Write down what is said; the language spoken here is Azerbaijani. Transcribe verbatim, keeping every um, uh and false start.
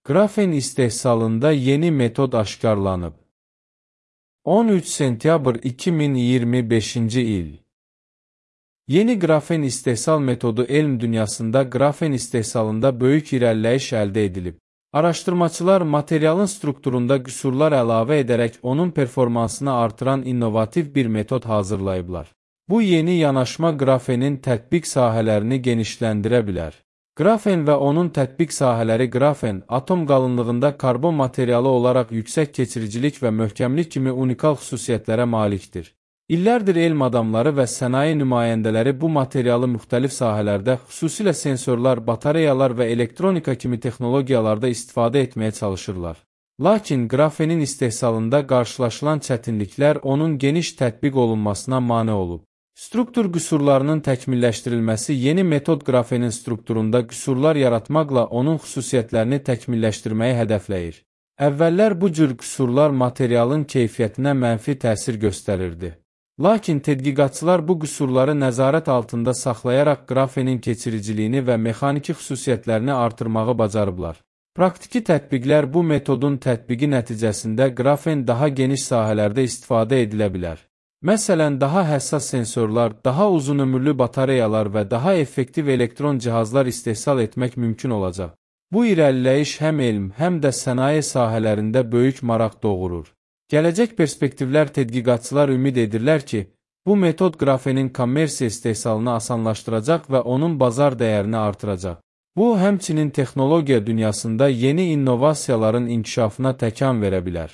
Grafen istehsalında yeni metod aşkarlanıb. on üç sentyabr iki min iyirmi beşinci il. Yeni grafen istehsal metodu elm dünyasında grafen istehsalında böyük irəliləyiş əldə edilib. Araşdırmaçılar materialın strukturunda qüsurlar əlavə edərək onun performansını artıran innovativ bir metod hazırlayıblar. Bu yeni yanaşma grafenin tətbiq sahələrini genişləndirə bilər. Grafen və onun tətbiq sahələri Grafen, atom qalınlığında karbon materialı olaraq yüksək keçiricilik və möhkəmlik kimi unikal xüsusiyyətlərə malikdir. İllərdir elm adamları və sənaye nümayəndələri bu materialı müxtəlif sahələrdə, xüsusilə sensorlar, batareyalar və elektronika kimi texnologiyalarda istifadə etməyə çalışırlar. Lakin grafenin istehsalında qarşılaşılan çətinliklər onun geniş tətbiq olunmasına mane olub. Struktur qüsurlarının təkmilləşdirilməsi yeni metod grafenin strukturunda qüsurlar yaratmaqla onun xüsusiyyətlərini təkmilləşdirməyi hədəfləyir. Əvvəllər bu cür qüsurlar materialın keyfiyyətinə mənfi təsir göstərirdi. Lakin tədqiqatçılar bu qüsurları nəzarət altında saxlayaraq grafenin keçiriciliyini və mexaniki xüsusiyyətlərini artırmağı bacarıblar. Praktiki tətbiqlər bu metodun tətbiqi nəticəsində grafen daha geniş sahələrdə istifadə edilə bilər. Məsələn, daha həssas sensorlar, daha uzun ömürlü batareyalar və daha effektiv elektron cihazlar istehsal etmək mümkün olacaq. Bu irəliləyiş həm elm, həm də sənaye sahələrində böyük maraq doğurur. Gələcək perspektivlər tədqiqatçılar ümid edirlər ki, bu metod grafenin kommersiya istehsalını asanlaşdıracaq və onun bazar dəyərini artıracaq. Bu, həmçinin texnologiya dünyasında yeni innovasiyaların inkişafına təkan verə bilər.